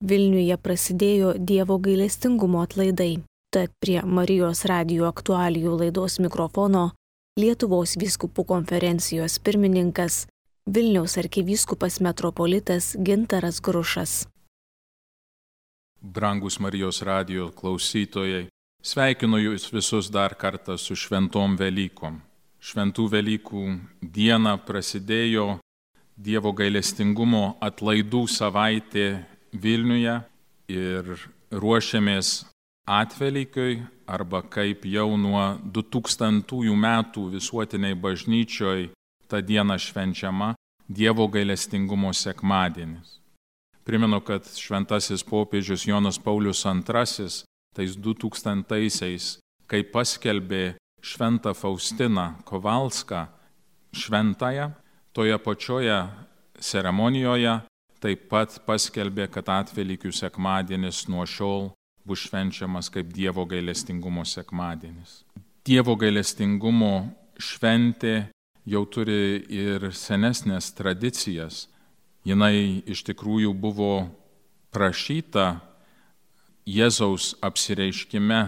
Vilniuje prasidėjo Dievo gailestingumo atlaidai. Tad prie Marijos radijo aktualijų laidos mikrofono Lietuvos vyskupų konferencijos pirmininkas Vilniaus arkivyskupas metropolitas Gintaras Grušas. Brangus Marijos radijo klausytojai, sveikinu jūs visus dar kartą su šventom Velykom. Šventų Velykų diena prasidėjo Dievo gailestingumo atlaidų savaitė Vilniuje ir ruošiamės Atvelykiui, arba kaip jau nuo 2000 metų visuotiniai bažnyčioj ta diena švenčiama Dievo gailestingumo sekmadienis. Primenu, kad šventasis popiežius Jonas Paulius II tais 2000-aisiais, kai paskelbė šventą Faustiną Kowalską šventąją, toje pačioje ceremonijoje taip pat paskelbė, kad Atvelykių sekmadienis nuo šiol bus švenčiamas kaip Dievo gailestingumo sekmadienis. Dievo gailestingumo šventė jau turi ir senesnės tradicijas. Jinai iš tikrųjų buvo prašyta Jėzaus apsireiškime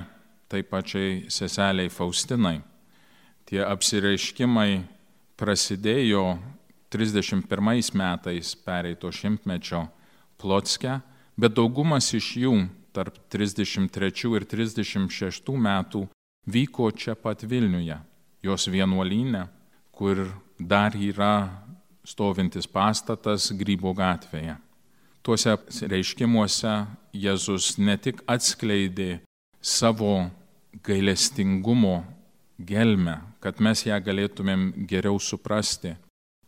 tai pačiai seseliai Faustinai. Tie apsireiškimai prasidėjo 31 metais pereito šimtmečio Plocke, bet daugumas iš jų tarp 33 ir 36 metų vyko čia pat Vilniuje, jos vienuolyne, kur dar yra stovintis pastatas Grybo gatvėje. Tuose reiškimuose Jėzus ne tik atskleidė savo gailestingumo gelmę, kad mes ją galėtumėm geriau suprasti,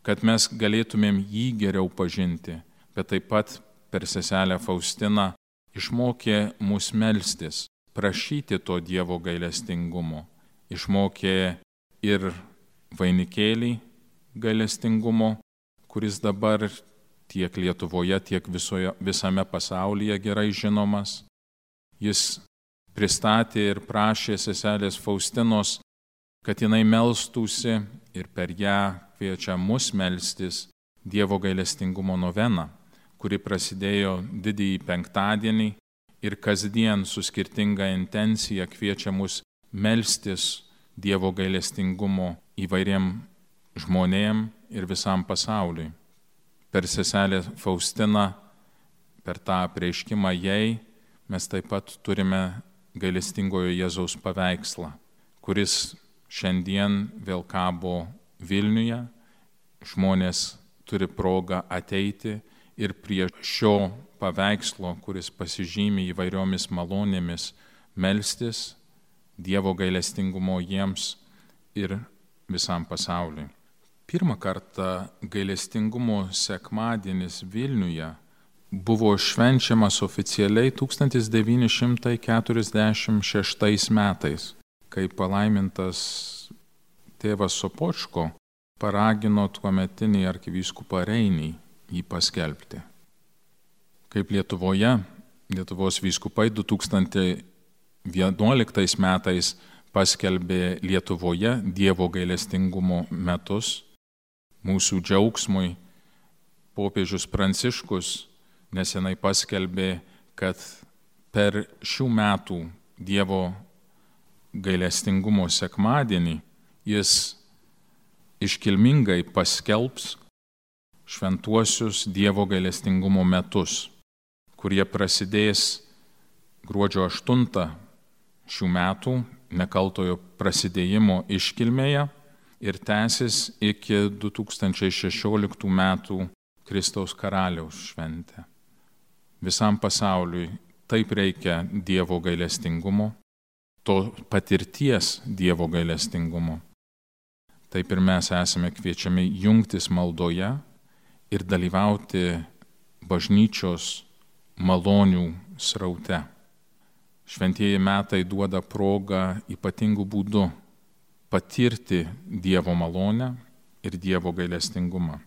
kad mes galėtumėm jį geriau pažinti, bet taip pat per seselę Faustiną išmokė mus melstis, prašyti to Dievo gailestingumo. Išmokė ir vainikėlį gailestingumo, kuris dabar tiek Lietuvoje, tiek visame pasaulyje gerai žinomas. Jis pristatė ir prašė seselės Faustinos, kad jinai melstųsi ir per ją kviečia mus melstis Dievo gailestingumo noveną, kuri prasidėjo didįjį penktadienį ir kasdien su skirtinga intencija kviečia mus melstis Dievo gailestingumo įvairiem žmonėm ir visam pasauliui. Per seselę Faustiną, per tą apreiškimą jai, mes taip pat turime gailestingojo Jėzaus paveikslą, kuris šiandien vėl kabo Vilniuje. Žmonės turi progą ateiti ir prie šio paveikslo, kuris pasižymi įvairiomis malonėmis, melstis Dievo gailestingumo jiems ir visam pasauliui. Pirmą kartą gailestingumo sekmadienis Vilniuje buvo švenčiamas oficialiai 1946 metais, kai palaimintas tėvas Sopočko paragino tuometinį arkivyskupą Reinį jį paskelbti. Kaip Lietuvoje, Lietuvos vyskupai 2011 metais paskelbė Lietuvoje Dievo gailestingumo metus, mūsų džiaugsmui popiežius Pranciškus nesenai paskelbė, kad per šių metų Dievo gailestingumo sekmadienį jis iškilmingai paskelbs šventuosius Dievo gailestingumo metus, kurie prasidės gruodžio 8 šių metų nekaltojo prasidėjimo iškilmėje ir tęsis iki 2016 metų Kristaus karaliaus šventę. Visam pasauliui taip reikia Dievo gailestingumo, to patirties Dievo gailestingumo. Taip ir mes esame kviečiami jungtis maldoje ir dalyvauti bažnyčios malonių sraute. Šventieji metai duoda progą ypatingų būdų patirti Dievo malonę ir Dievo gailestingumą.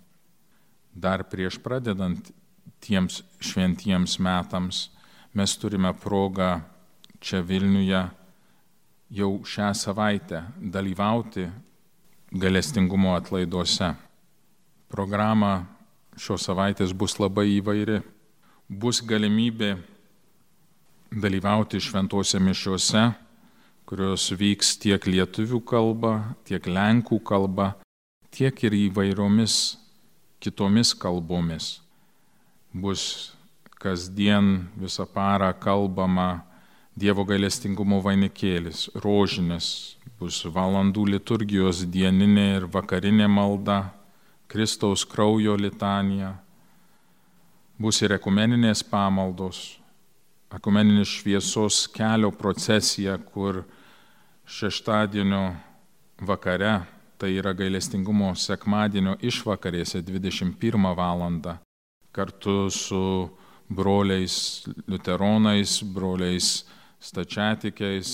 Dar prieš pradedant tiems šventiems metams mes turime progą čia Vilniuje jau šią savaitę dalyvauti gailestingumo atlaiduose. Programa šios savaitės bus labai įvairi. bus galimybė dalyvauti šventose mišiose, kurios vyks tiek lietuvių kalba, tiek lenkų kalba, tiek ir įvairiomis kitomis kalbomis. Bus kasdien visą parą kalbama Dievo gailestingumo vainikėlis, rožinis, bus valandų liturgijos dieninė ir vakarinė malda, Kristaus kraujo litanija, bus ir ekumeninės pamaldos, ekumeninis šviesos kelio procesija, kur šeštadienio vakare, tai yra gailestingumo sekmadienio išvakarėse 21 valandą, kartu su broliais liuteronais, broliais stačiatikiais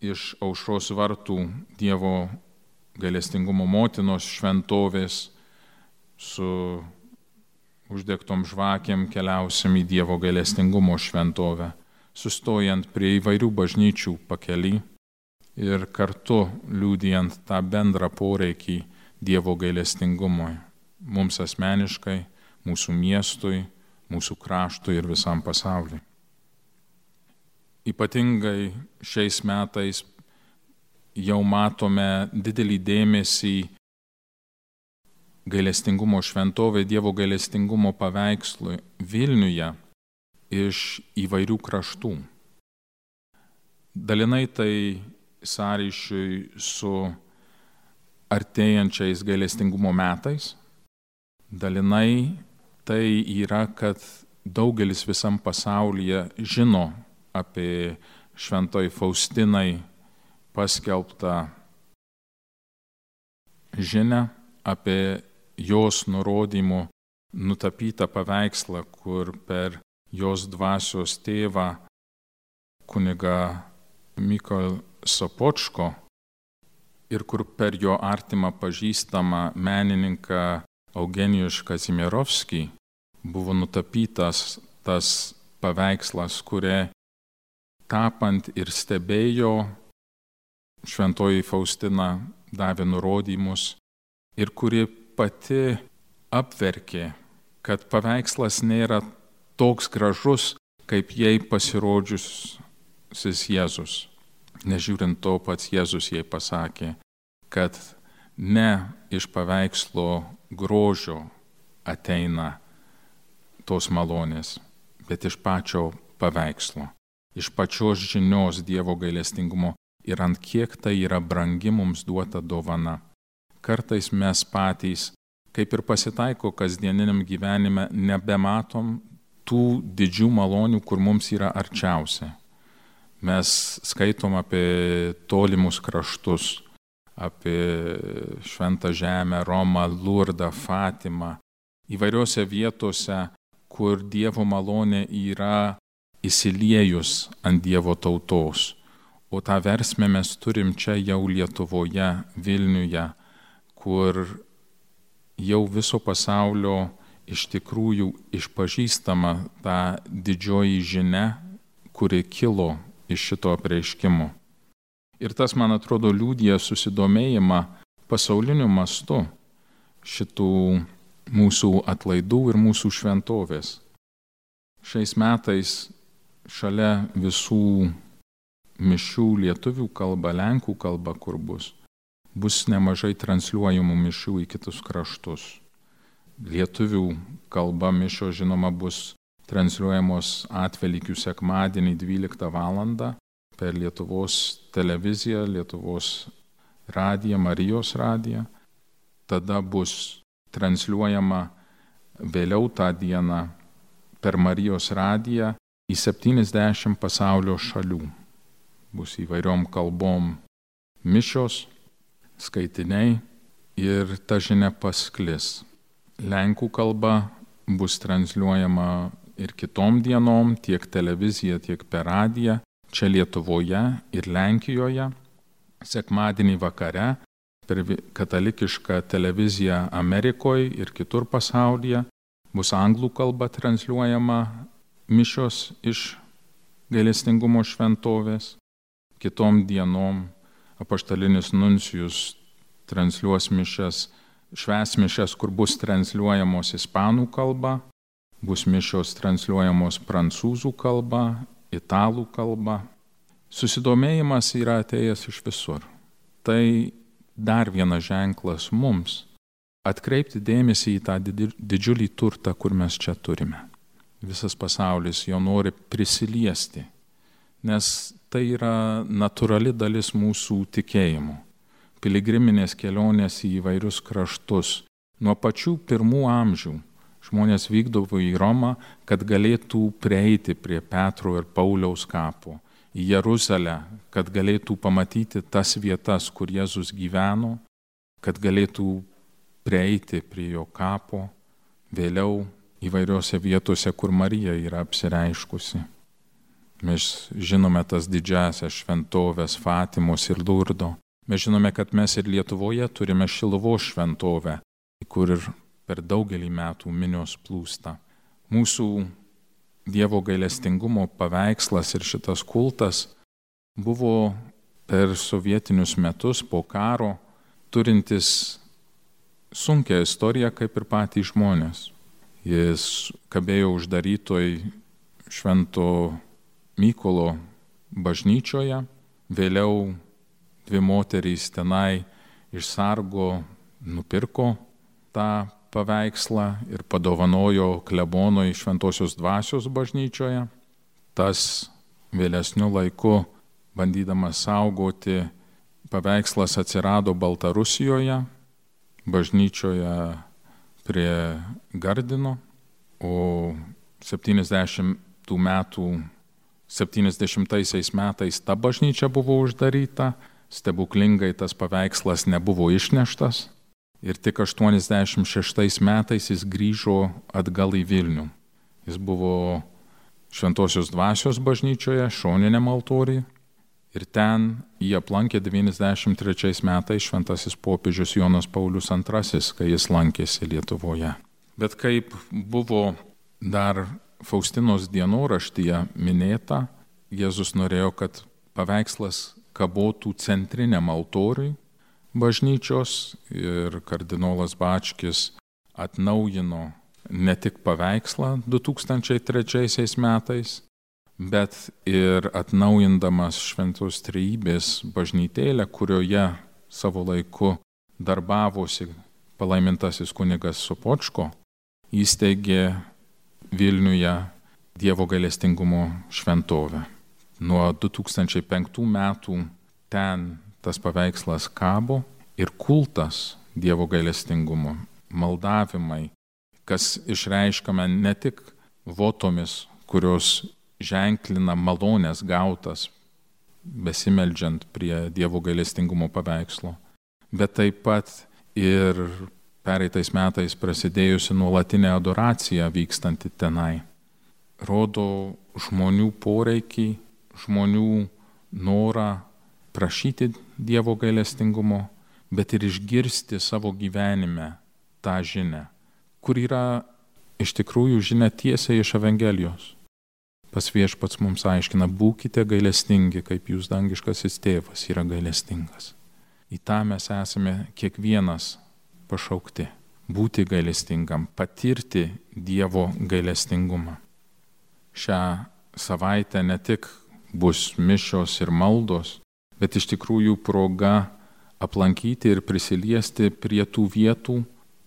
iš Aušros vartų Dievo gailestingumo motinos šventovės su uždegtom žvakėm keliausim į Dievo gailestingumo šventovę, sustojant prie įvairių bažnyčių pakely ir kartu liudijant tą bendrą poreikį Dievo gailestingumui, mums asmeniškai, mūsų miestui, mūsų kraštui ir visam pasauliui. Ypatingai šiais metais jau matome didelį dėmesį gailestingumo šventovė, Dievo gailestingumo paveikslui Vilniuje iš įvairių kraštų. Dalinai tai sąryšiui su artėjančiais gailestingumo metais, dalinai tai yra, kad daugelis visam pasaulyje žino apie šventoji Faustinai paskelbtą žinią, apie jos nurodymų nutapytą paveikslą, kur per jos dvasios tėvą kunigą Mykolą Sopočko ir kur per jo artimą pažįstamą menininką Eugenijų Kazimierovskį buvo nutapytas tas paveikslas, kurie tapant ir stebėjo, šventoji Faustina davė nurodymus ir kuri pati apverkė, kad paveikslas nėra toks gražus, kaip jai pasirodžiusis Jėzus. Nežiūrint to, pats Jėzus jai pasakė, kad ne iš paveikslo grožio ateina tos malonės, bet iš pačio paveikslo, iš pačios žinios Dievo gailestingumo ir ant kiek tai yra brangi mums duota dovana. Kartais mes patys, kaip ir pasitaiko kasdieniniam gyvenime, nebematom tų didžių malonių, kur mums yra arčiausia. Mes skaitom apie tolimus kraštus, apie Šventą Žemę, Romą, Lurdą, Fatimą, įvairiose vietose, kur Dievo malonė yra įsiliejus ant Dievo tautos. O tą versmę mes turim čia jau Lietuvoje, Vilniuje, kur jau viso pasaulio iš tikrųjų išpažįstama ta didžioji žinia, kuri kilo iš šito apreiškimo. Ir tas, man atrodo, liudija susidomėjimą pasauliniu mastu šitų mūsų atlaidų ir mūsų šventovės. Šiais metais šalia visų mišių lietuvių kalba, lenkų kalba, kur bus nemažai transliuojamų mišių į kitus kraštus. Lietuvių kalba mišos, žinoma, bus transliuojamos Atvelykių sekmadienį 12 valandą per Lietuvos televiziją, Lietuvos radiją, Marijos radiją. Tada bus transliuojama vėliau tą dieną per Marijos radiją į 70 pasaulio šalių. Bus įvairiom kalbom mišios, skaitiniai ir ta žinia pasklis. Lenkų kalba bus transliuojama ir kitom dienom, tiek televizija, tiek per radiją, čia Lietuvoje ir Lenkijoje. Sekmadienį vakare per katalikišką televiziją Amerikoje ir kitur pasaulyje bus anglų kalba transliuojama mišios iš gailestingumo šventovės. Kitom dienom apaštalinis nuncijus transliuos mišias, švęs mišias, kur bus transliuojamos ispanų kalba, bus mišios transliuojamos prancūzų kalba, italų kalba. Susidomėjimas yra atėjęs iš visur. Tai dar vienas ženklas mums atkreipti dėmesį į tą didžiulį turtą, kur mes čia turime. Visas pasaulis jo nori prisiliesti, nes tai yra natūrali dalis mūsų tikėjimo. Piligriminės kelionės į įvairius kraštus. Nuo pačių pirmų amžių žmonės vykdavo į Romą, kad galėtų prieiti prie Petro ir Pauliaus kapo, į Jeruzalę, kad galėtų pamatyti tas vietas, kur Jėzus gyveno, kad galėtų prieiti prie jo kapo, vėliau įvairiose vietose, kur Marija yra apsireiškusi. Mes žinome tas didžiasias šventovės Fatimos ir Lurdo. Mes žinome, kad mes ir Lietuvoje turime Šiluvos šventovę, kur ir per daugelį metų minios plūsta. Mūsų Dievo gailestingumo paveikslas ir šitas kultas buvo per sovietinius metus po karo turintis sunkią istoriją kaip ir patys žmonės. Jis kabėjo uždarytoj Švento Mykolo bažnyčioje, vėliau 2 moterys tenai iš sargo nupirko tą paveikslą ir padovanojo klebonui Šventosios Dvasios bažnyčioje. Tas vėlesniu laiku, bandydamas saugoti, paveikslas atsirado Baltarusijoje, bažnyčioje prie Gardino, o 70 metais ta bažnyčia buvo uždaryta, stebuklingai tas paveikslas nebuvo išneštas ir tik 86 metais jis grįžo atgal į Vilnių. Jis buvo Šventosios Dvasios bažnyčioje, šoniniam altoriuje ir ten jį aplankė 93 metais šventasis popiežius Jonas Paulius II, kai jis lankėsi Lietuvoje. Bet kaip buvo dar Faustinos dienoraštyje minėta, Jėzus norėjo, kad paveikslas kabotų centriniam altoriui bažnyčios ir kardinolas Bačkis atnaujino ne tik paveikslą 2003 metais, bet ir atnaujindamas Šventos Trejybės bažnytėlę, kurioje savo laiku darbavosi palaimintasis kunigas Sopočko, įsteigė Vilniuje Dievo gailestingumo šventovę. Nuo 2005 metų ten tas paveikslas kabo ir kultas Dievo gailestingumo, maldavimai, kas išreiškame ne tik votomis, kurios ženklina malonės gautas besimeldžiant prie Dievo gailestingumo paveikslo, bet taip pat ir pereitais metais prasidėjusi nuolatinė adoracija vykstanti tenai. Rodo žmonių poreikį, žmonių norą prašyti Dievo gailestingumo, bet ir išgirsti savo gyvenime tą žinią, kur yra iš tikrųjų žinia tiesiai iš Evangelijos. Pas Viešpats mums aiškina, būkite gailestingi, kaip jūs dangiškasis tėvas yra gailestingas. Į tą mes esame kiekvienas pašaukti. Būti gailestingam, patirti Dievo gailestingumą. Šią savaitę ne tik bus mišios ir maldos, bet iš tikrųjų proga aplankyti ir prisiliesti prie tų vietų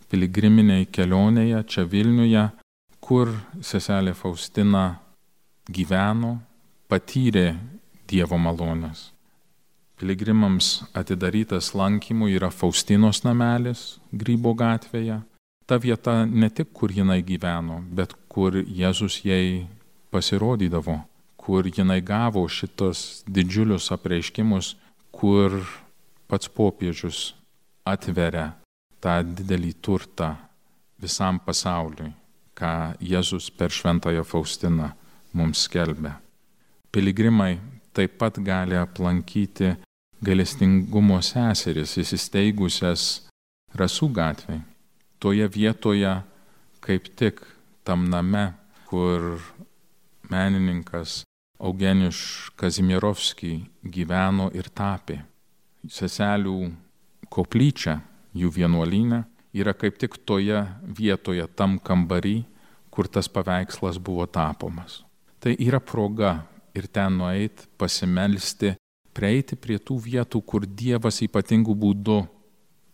piligriminiai kelionėje čia Vilniuje, kur seselė Faustina gyveno, patyrė Dievo malonės. Piligrimams atidarytas lankymui yra Faustinos namelis Grybo gatvėje. Ta vieta ne tik, kur jinai gyveno, bet kur Jėzus jai pasirodydavo, kur jinai gavo šitos didžiulius apreiškimus, kur pats popiežius atveria tą didelį turtą visam pasauliui, ką Jėzus per šventąją Faustiną mums skelbia. Piligrimai taip pat gali aplankyti gailestingumo seseris įsisteigusias Rasų gatvėje. Toje vietoje, kaip tik tam name, kur menininkas Eugenijus Kazimierovskis gyveno ir tapė. Seselių koplyčia, jų vienuolyne, yra kaip tik toje vietoje, tam kambarį, kur tas paveikslas buvo tapomas. Tai yra proga ir ten nueiti, pasimelsti, prieiti prie tų vietų, kur Dievas ypatingų būdų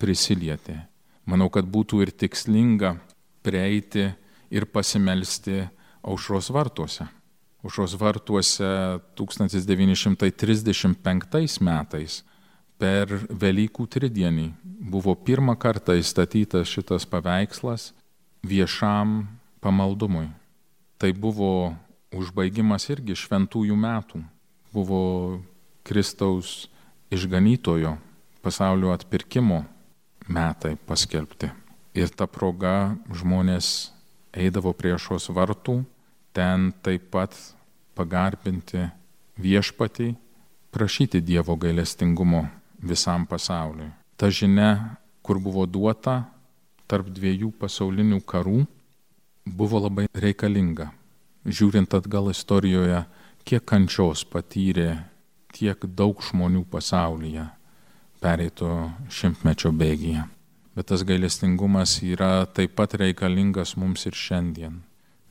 prisilietė. Manau, kad būtų ir tikslinga prieiti ir pasimelsti Aušros vartuose. Aušros vartuose 1935 metais per Velykų tridienį buvo pirmą kartą įstatytas šitas paveikslas viešam pamaldumui. Tai buvo užbaigimas irgi šventųjų metų. Buvo Kristaus išganytojo pasaulio atpirkimo metai paskelbti. Ir ta proga žmonės eidavo prie Aušros vartų, ten taip pat pagarbinti viešpatį, prašyti Dievo gailestingumo visam pasauliui. Ta žinia, kur buvo duota tarp dviejų pasaulinių karų, buvo labai reikalinga. Žiūrint atgal istorijoje, kiek kančios patyrė tiek daug žmonių pasaulyje pereito šimtmečio bėgyje. Bet tas gailestingumas yra taip pat reikalingas mums ir šiandien.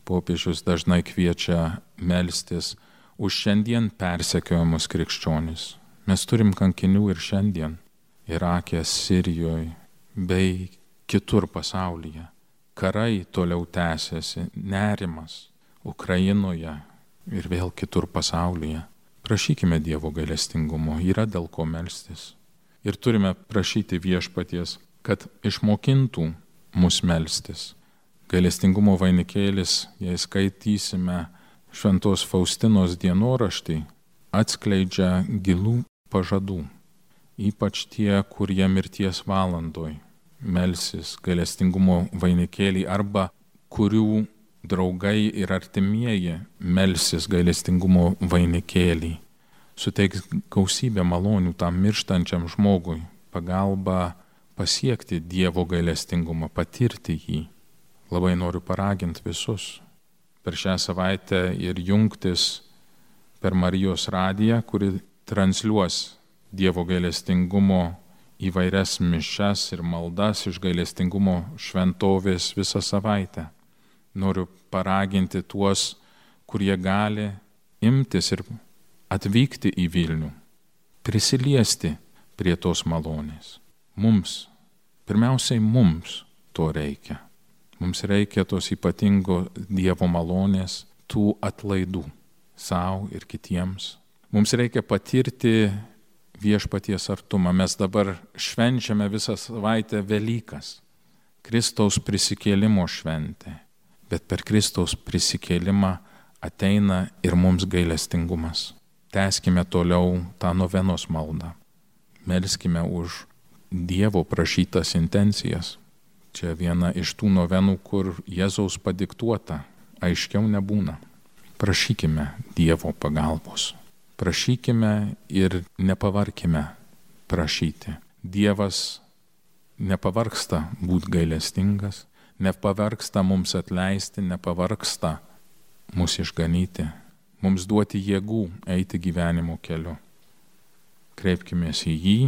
Popiežius dažnai kviečia melstis už šiandien persekiojamus krikščionis. Mes turim kankinių ir šiandien, Irake, Sirijoje bei kitur pasaulyje. Karai toliau tęsiasi, nerimas Ukrainoje ir vėl kitur pasaulyje. Prašykime Dievo gailestingumo, yra dėl ko melstis. Ir turime prašyti viešpaties, kad išmokintų mus melstis. Gailestingumo vainikėlis, jei skaitysime Šventos Faustinos dienoraštį, atskleidžia gilų pažadų, ypač tie, kurie mirties valandoj melsis gailestingumo vainikėlį arba kurių draugai ir artimieji melsis gailestingumo vainikėlį. Suteiks gausybę malonių tam mirštančiam žmogui, pagalba pasiekti Dievo gailestingumą, patirti jį. Labai noriu paraginti visus per šią savaitę ir jungtis per Marijos radiją, kuri transliuos Dievo gailestingumo įvairias mišias ir maldas iš gailestingumo šventovės visą savaitę. Noriu paraginti tuos, kurie gali imtis ir atvykti į Vilnių, prisiliesti prie tos malonės. Mums, pirmiausiai mums to reikia. Mums reikia tos ypatingo Dievo malonės, tų atlaidų sau ir kitiems. Mums reikia patirti viešpaties artumą. Mes dabar švenčiame visą savaitę Velykas, Kristaus prisikėlimo šventė. Bet per Kristaus prisikėlimą ateina ir mums gailestingumas. Tęskime toliau tą novenos maldą. Melskime už Dievo prašytas intencijas. Čia viena iš tų novenų, kur Jėzaus padiktuota, aiškiau nebūna. Prašykime Dievo pagalbos. Prašykime ir nepavarkime prašyti. Dievas nepavargsta būti gailestingas, nepavargsta mums atleisti, nepavargsta mus išganyti, mums duoti jėgų eiti gyvenimo keliu. Kreipkimės į jį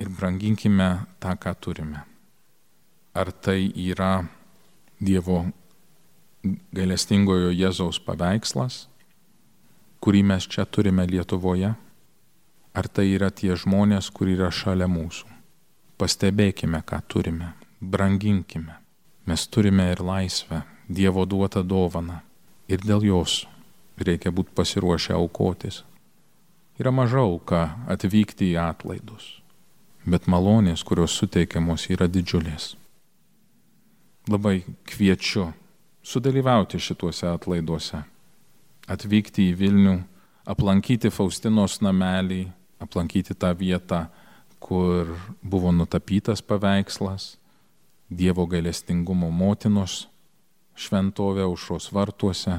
ir branginkime tą, ką turime. Ar tai yra Dievo gailestingojo Jėzaus paveikslas, kurį mes čia turime Lietuvoje? Ar tai yra tie žmonės, kurie yra šalia mūsų? Pastebėkime, ką turime, branginkime. Mes turime ir laisvę, Dievo duotą dovaną. Ir dėl jos reikia būti pasiruošę aukotis. Yra maža auka atvykti į atlaidus, bet malonės, kurios suteikiamos, yra didžiulės. Labai kviečiu sudalyvauti šituose atlaiduose, atvykti į Vilnių, aplankyti Faustinos namelį, aplankyti tą vietą, kur buvo nutapytas paveikslas, Dievo gailestingumo motinos šventovę Aušros vartuose,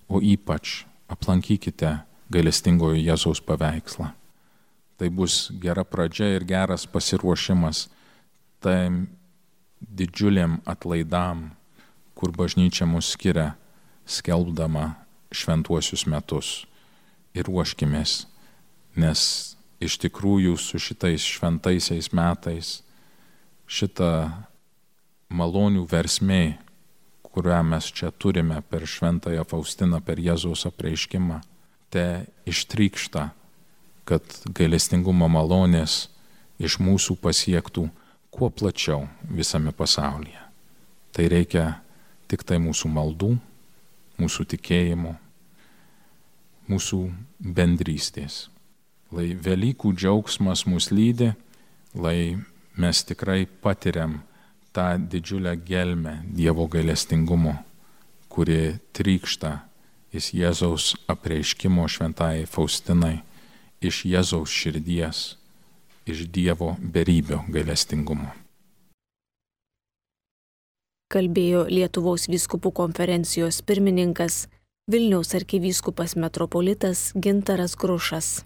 o ypač aplankykite gailestingojo Jėzaus paveikslą. Tai bus gera pradžia ir geras pasiruošimas tai didžiuliam atlaidam, kur bažnyčia mus skiria, skelbdama šventuosius metus. Ir ruoškimės, nes iš tikrųjų su šitais šventaisiais metais šita malonių versmė, kurią mes čia turime per Šventąją Faustiną, per Jėzaus apreiškimą, te ištrykšta, kad gailestingumo malonės iš mūsų pasiektų kuo plačiau visame pasaulyje. Tai reikia tik tai mūsų maldų, mūsų tikėjimo, mūsų bendrystės. Lai Velykų džiaugsmas mus lydi, lai mes tikrai patiriam tą didžiulę gelmę Dievo gailestingumo, kuri trykšta iš Jėzaus apreiškimo Šventajai Faustinai, iš Jėzaus širdies, iš Dievo beribio gailestingumo. Kalbėjo Lietuvos vyskupų konferencijos pirmininkas Vilniaus arkivyskupas metropolitas Gintaras Grušas.